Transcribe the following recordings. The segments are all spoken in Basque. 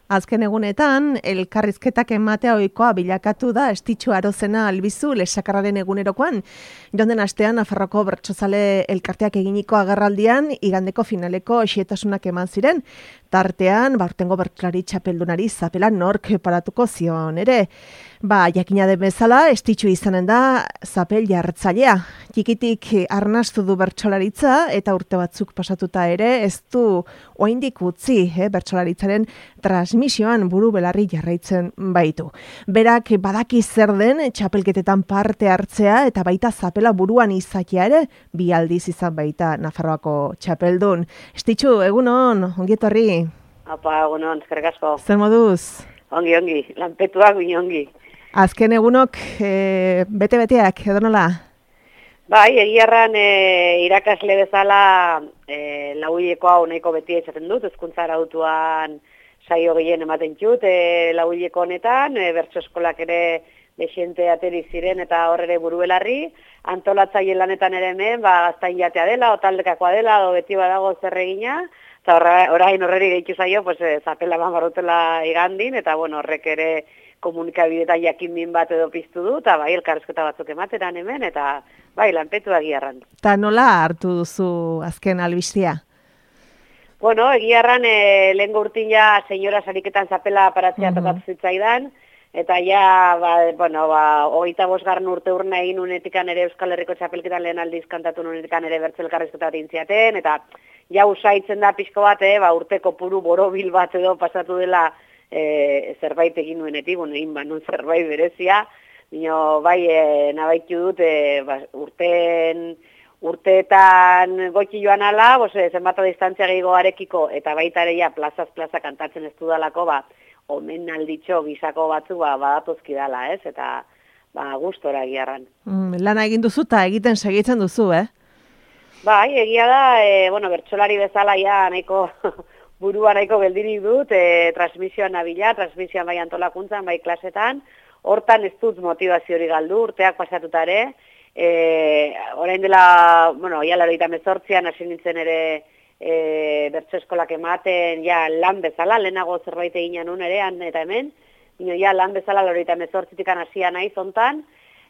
Azken egunetan, elkarrizketak ematea ohikoa bilakatu da Estitxu Arozena Albizu lesakarraren egunerokoan. Jonden astean, Nafarroko bertsozale elkarteak eginiko agerraldian, igandeko finaleko xietasunak eman ziren. Tartean, aurtengo bertsolari txapeldunari zapela nork paratuko zion ere. Jakina den bezala, Estitxu izanen da zapel jartzailea. Txikitik arnastu du bertsolaritza eta urte batzuk pasatuta ere ez du oraindik utzi bertsolaritzaren transmisioan buru belarri jarraitzen baitu. Berak badaki zer den txapelketetan parte hartzea eta baita zapela buruan izatea ere bi aldiz izan baita Nafarroako txapeldun. Estitxu, egunon, ongi etorri. Apa, egunon, eskerrik asko. Zer moduz? Ongi, lanpetuak ongi. Azken egunok bete-beteak, edo nola? Bai, egiarran irakasle bezala lauileko hau nahiko beti esaten dut, hezkuntza arautuan saio gehien ematen txut lauileko honetan, bertso eskolak ere desiente ateri ziren eta horre buru belarri, antolatzaile lanetan ere hemen, gaztain jatea dela, o taldekakoa dela, o beti badago zer egina, eta orain horreri gehitu zaio, zapela barrutela igandin, eta horrek ere komunikabideetan jakin bat edo piztu du, eta elkarrezketa batzuk emateran hemen, eta lanpetu egiarran. Eta nola hartu duzu azken albistia? Egiarran lehengo urtin ja senyora sariketan zapela paratzea tokatu zitzaidan, eta ja, 25. urte urna egin unetikan ere Euskal Herriko txapelketan lehen aldiz kantatu unetikan ere bertso elkarrezketa bat intziaten, eta ja usaitzen da pixko bat, urteko puru borobil bat edo pasatu dela zerbait egin nuenetik, egin banun zerbait berezia, nabaitu dut urteetan goiti joan ala, zenbata distantzia gehiago arekiko, eta baita ere ja plazaz plaza kantatzen ez dudalako, omen alditxo gizako batzu badatuzki dala, ez? Eta gustora egiarran. Lana egin duzu eta egiten segitzen duzu, Bai, egia da, bertsolari bezala ja nahiko burua nahiko geldirik dut, transmisioan nabila, transmisioan bai antolakuntzan, bai klasetan, hortan ez dut motivazio hori galdu, urteak pasatuta ere, orain dela, ja 98an hasi nintzen ere bertso eskolak ematen, ja lan bezala, lehenago zerbait egin nun ere, eta hemen, ja lan bezala 98an hasia nahi zontan,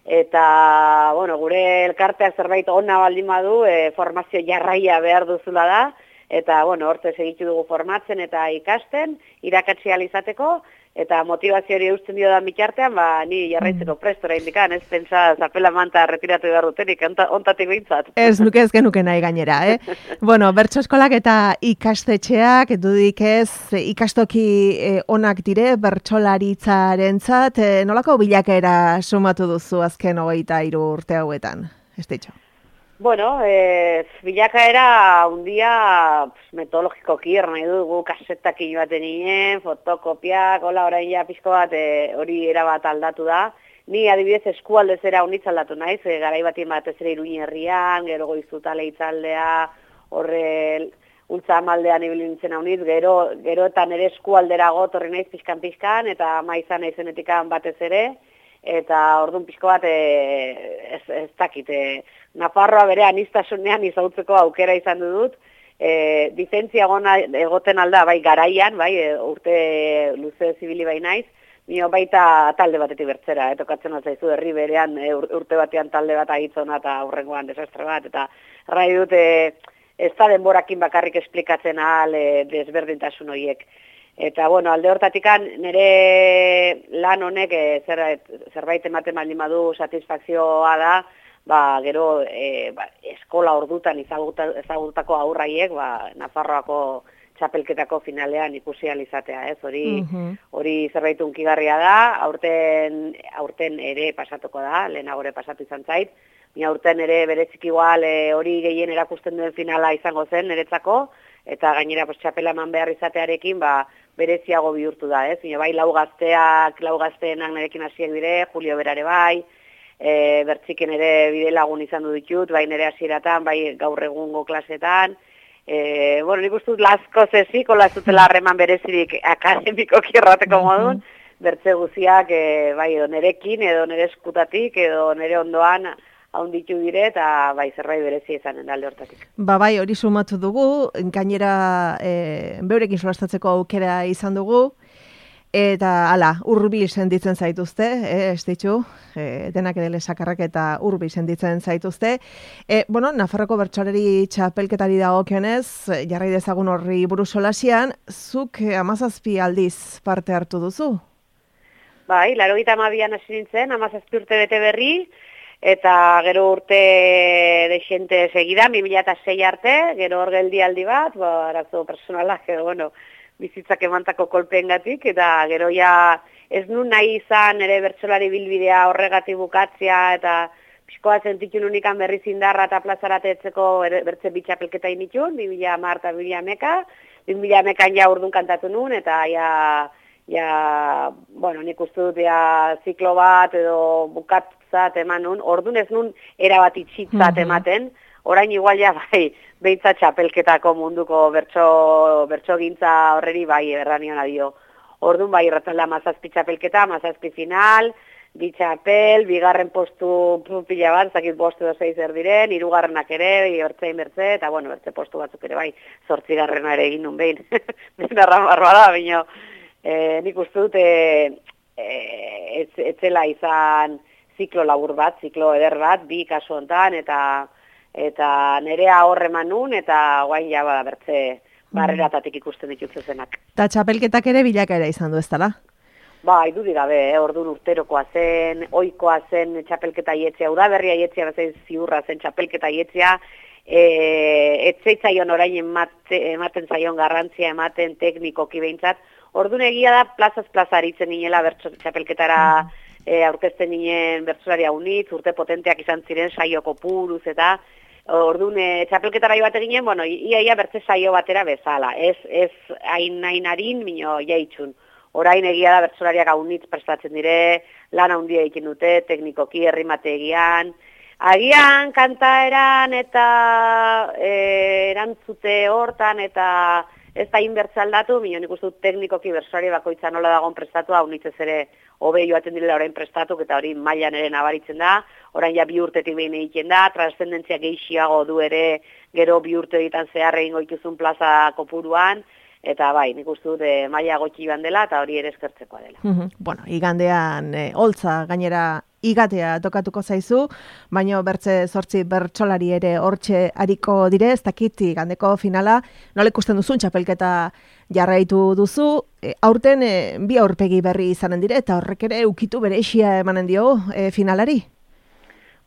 eta, gure elkarteak zerbait ona baldin badu, formazio jarraia behar duzula da, eta, hortze segitu dugu formatzen eta ikasten, irakatsi izateko, eta motivazio hori eusten dio da mitartean, ni jarraitzeko prestora indikan, ez pentsa zapela manta retiratu behar dutenik, ontatik behintzat. Ez nuke ez genuke nahi gainera, bertso eskolak eta ikastetxeak, dudik ez, ikastoki onak dire, bertsolaritzarentzat, nolako bilakaera sumatu duzu azken 23 urte hauetan, Estitxu? Bilakaera undia metodologikoki nahi dugu kasetak inoaten nien, fotokopiak, orain ja pixko bat hori erabat aldatu da. Ni adibidez eskualdez era unitz aldatu naiz, garai batien batez ere Iruña herrian, gero Goizutale itzaldea, horre ultza amaldean ibilintzen haunitz, geroetan ere eskualdera gotorri naiz pixkan, eta maizan naizenetikan batez ere, eta orduan pixko bat ez dakit, Nafarroa bere aniztasunean izautzeko aukera izan dut, dizentzia egoten alda, garaian, urte luze zibili naiz, baita talde batetik bertzera, tokatzen altzaizu herri berean urte batean talde bat agitzona eta aurrengoan desastre bat, eta rai dut ez da denborakin bakarrik esplikatzen ahal desberdintasun horiek. Eta, alde hortatikan nire lan honek zerbait ematen baldin badu satisfakzioa da, gero eskola ordutan ezagutako aurraiek, Nafarroako txapelketako finalean ikusi izatea, ez? Hori zerbait hunkigarria da, aurten ere pasatuko da, lehenago ere pasatu izan zait, aurten ere berezik igual hori gehien erakusten duen finala izango zen niretzako, eta gainera txapela eman behar izatearekin, bereziago bihurtu da, ez? Bai, lau gazteenak nerekin hasiek dire, Julio Berare bai, bertziken ere bide lagun izan du ditut, bai nere hasieratan, bai gaur egungo klasetan. Nik uste dut lasko zeziko, lazutela harreman berezirik akademikoki errateko modun, bertze guziak bai edo nerekin, edo nere eskutatik, edo nere ondoan haunditu dire, eta bai zerbait berezia izanen alde hortatik. Bai, hori sumatu dugu, gainera beurekin solastatzeko aukera izan dugu, Eta, hala, hurbil sentitzen zaituzte, ez ditu, denak ere lesakarrak eta hurbil sentitzen zaituzte. Bueno, Nafarroko bertsolari txapelketari dagokionez, jarrai dezagun horri buruz solasian, zuk 17 aldiz parte hartu duzu? Bai, 82an hasi nintzen, 17 urte bete berri, eta gero urte deixente segida, 2006 arte, gero hor geldialdi bat, arazo personalak, bueno, bizitzak emantako kolpeengatik, eta gero ja ez nun nahi izan ere bertsolari bilbidea horregatik bukatzea, eta pixkoa sentitu nunikan berriz indarra eta plazaratetzeko bertze bitxapelketa initun, 2010 eta 2011an ja urdun kantatu nun, eta bueno, nik uste dut ziklo bat edo bukatzat eman nun, ordun ez nun erabat itxitzat ematen, orain igual ja bai, behintzat txapelketako munduko bertso gintza horreri bai erranion adio. Orduan bai irratzalda 17 txapelketa, 17 final, bi txapel, bigarren postu pila bat, zakit bostu edo 6 erdiren, hirugarrenak ere, bertze, eta bueno, bertze postu batzuk ere bai, 8garrena ere egin nun behin. Dena ramarroa da, bino, nik uste dut etzela izan ziklo labur bat, ziklo eder bat, bi kasu hontan, eta nerea horreman nun, eta guain ja bada bertze barreratatik ikusten ditut zenak. Eta txapelketak ere bilakaera izan du ez dela? Bai, dudik gabe, orduan urterokoa zen, ohikoa zen txapelketa ietzea, udaberria ietzea bezain ziurra zen txapelketa ietzea, etzeitzaion orain ematen zaion garrantzia ematen teknikoki behintzat, orduan egia da plazaz plaza aritzen ninela txapelketara aurkezten ninen bertsolaria unitz, urte potenteak izan ziren saio kopuruz eta orduan txapelketara bat eginen, bueno, ia bertze saio batera bezala, ez hain harin, mino jaitxun. Orain egia da bertsolariak unitz prestatzen dire, lan handia egiten dute, teknikoki errimategian, agian kantaeran eta erantzute hortan eta ez da inbertza aldatu, mino nik uste dut teknikoki bertsolari bakoitza nola dagoen prestatua, unitzez ere hobe joaten direla orain prestatuk eta hori mailan ere nabaritzen da, orain ja 2 urtetik behin egiten da, transzendentzia gehiago du ere, gero 2 urte egiten zehar egingo dituzun plaza kopuruan, eta bai, nik uste dut maila gotxi joan dela eta hori ere eskertzekoa dela. Bueno, igandean holtza gainera igatea tokatuko zaizu, baina bertze 8 bertsolari ere hortxe ariko dire, ez dakit igandeko finala, nola ikusten duzun txapelketa jarraitu duzu, aurten bi aurpegi berri izanen dire, eta horrek ere ukitu bereixia emanen dio finalari?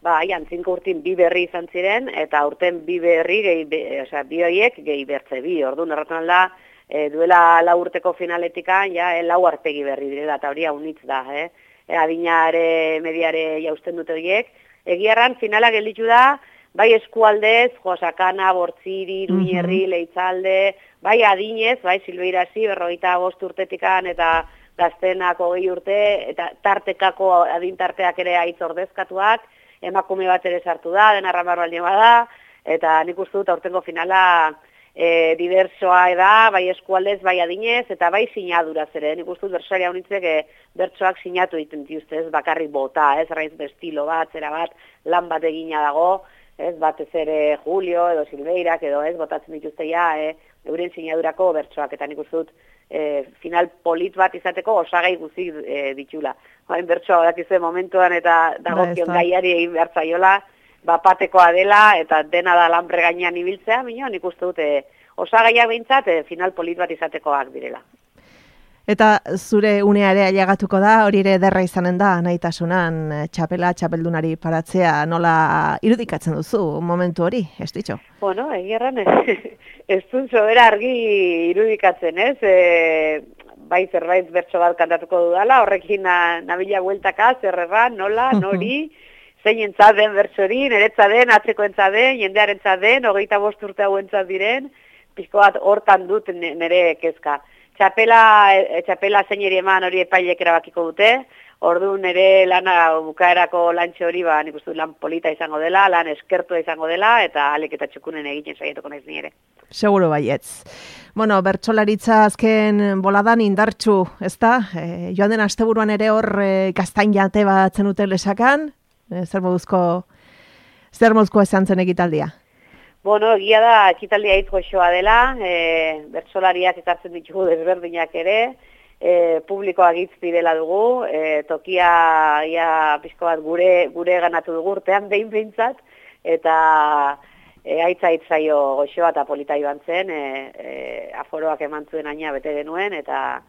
Bai, antzinku urtin bi berri izan ziren, eta aurten bi berri, bi horiek gehi bertze bi, orduan erraten alda, duela 4 urteko finaletikan, ja, 4 aurpegi berri direla, eta hori haunitz da, adinare, mediare jausten dute horiek. Egiarran, finala gelditu da, bai eskualdez, Josakana, Bortziri, Iruñerri, Leitzalde, bai adinez, bai Silbeirasi, 45 urtetikan, eta gaztenako 20 urte, eta tartekako adintarteak ere aitz ordezkatuak, emakume bat ere sartu da, dena ramarro aldien bada, eta nik uste dut aurtengo finala diversoa da, bai eskualdez, bai adinez, eta bai sinaduraz ere. Nik uste dut bertsolari unitzek bertsoak sinatu egiten dituzte, ez bakarrik bota, ez raiz estilo bat, zera bat, lan bat egina dago, ez batez ere Julio edo Silveirak edo ez botatzen dituzte ja, euren sinadurako bertsoak, eta nik uste dut final polit bat izateko osagai guzik ditula. Hain bertsoa dakizue momentuan eta dagokion gaiari egin behar zaiola, bapatekoa dela eta dena da lanbre gainean ibiltzea, minio, nik uste dute osagaiak behintzat final polit bat izatekoak direla. Eta zure unea ere ailegatuko da, hori ere derra izanen da, nahitasunan txapeldunari paratzea nola irudikatzen duzu momentu hori, ez ditxo? Bueno, egierran ez dut sobera argi irudikatzen, ez? Bai zerbait bertso bat kantatuko dudala, horrekin nabila bueltaka, zerrerran, nola, nori, zein entzat den bertsori, niretzat den, atzeko entzat den, jendearen entzat den, 25 urte hau entzat diren, pixko bat hortan dut nire kezka. Txapela zeineri eman hori epailek erabakiko dute, orduan ere lana bukaerako lantxe hori, nik uste lan polita izango dela, lan eskertua izango dela, eta alek eta txukunen egiten saiatuko naiz ni ere. Seguro baietz. Bueno, bertsolaritza azken boladan indartxu, ezta? Joan den asteburuan ere hor gaztain jate bat zenuten lesakan, zer moduzko esan zen ekitaldia? Bueno, egia da ekitaldia hitz goxoa dela, bertsolariak ekartzen ditugu desberdinak ere, publikoak hitz dela dugu, tokia ia pixko bat gure ganatu dugu urtean behintzat, eta aitzaio goxoa eta polita joan zen, aforoak eman zuen aina bete genuen, eta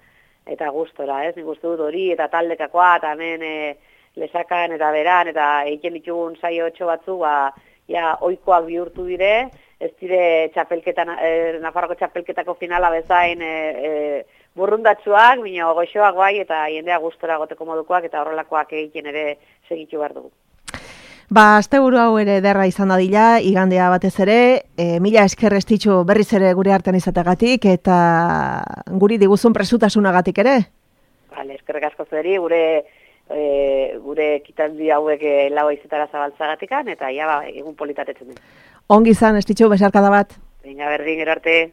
gustora, ez? Nik uste dut hori, eta taldekakoa, eta hemen lesakan eta beran, eta egiten ditugun saio 8 batzu, ja oikoak bihurtu dire, ez dire Nafarroko txapelketako finala bezain burrundatsuak, bino goxoak bai, eta jendea gustora goteko modukoak, eta horrelakoak egiten ere segitu behar dugu. Asteburu hau ere derra izan dadila, igandea batez ere, mila esker Estitxu berriz ere gure artean izategatik, eta guri diguzun presutasunagatik ere? Vale, eskerrik asko zuri, gure ekitaldi hauek lau izetara zabaltzagatikan, eta egun politatetzen den. Ongi izan, Estitxu, besarkada bat. Venga, berdin, gero arte.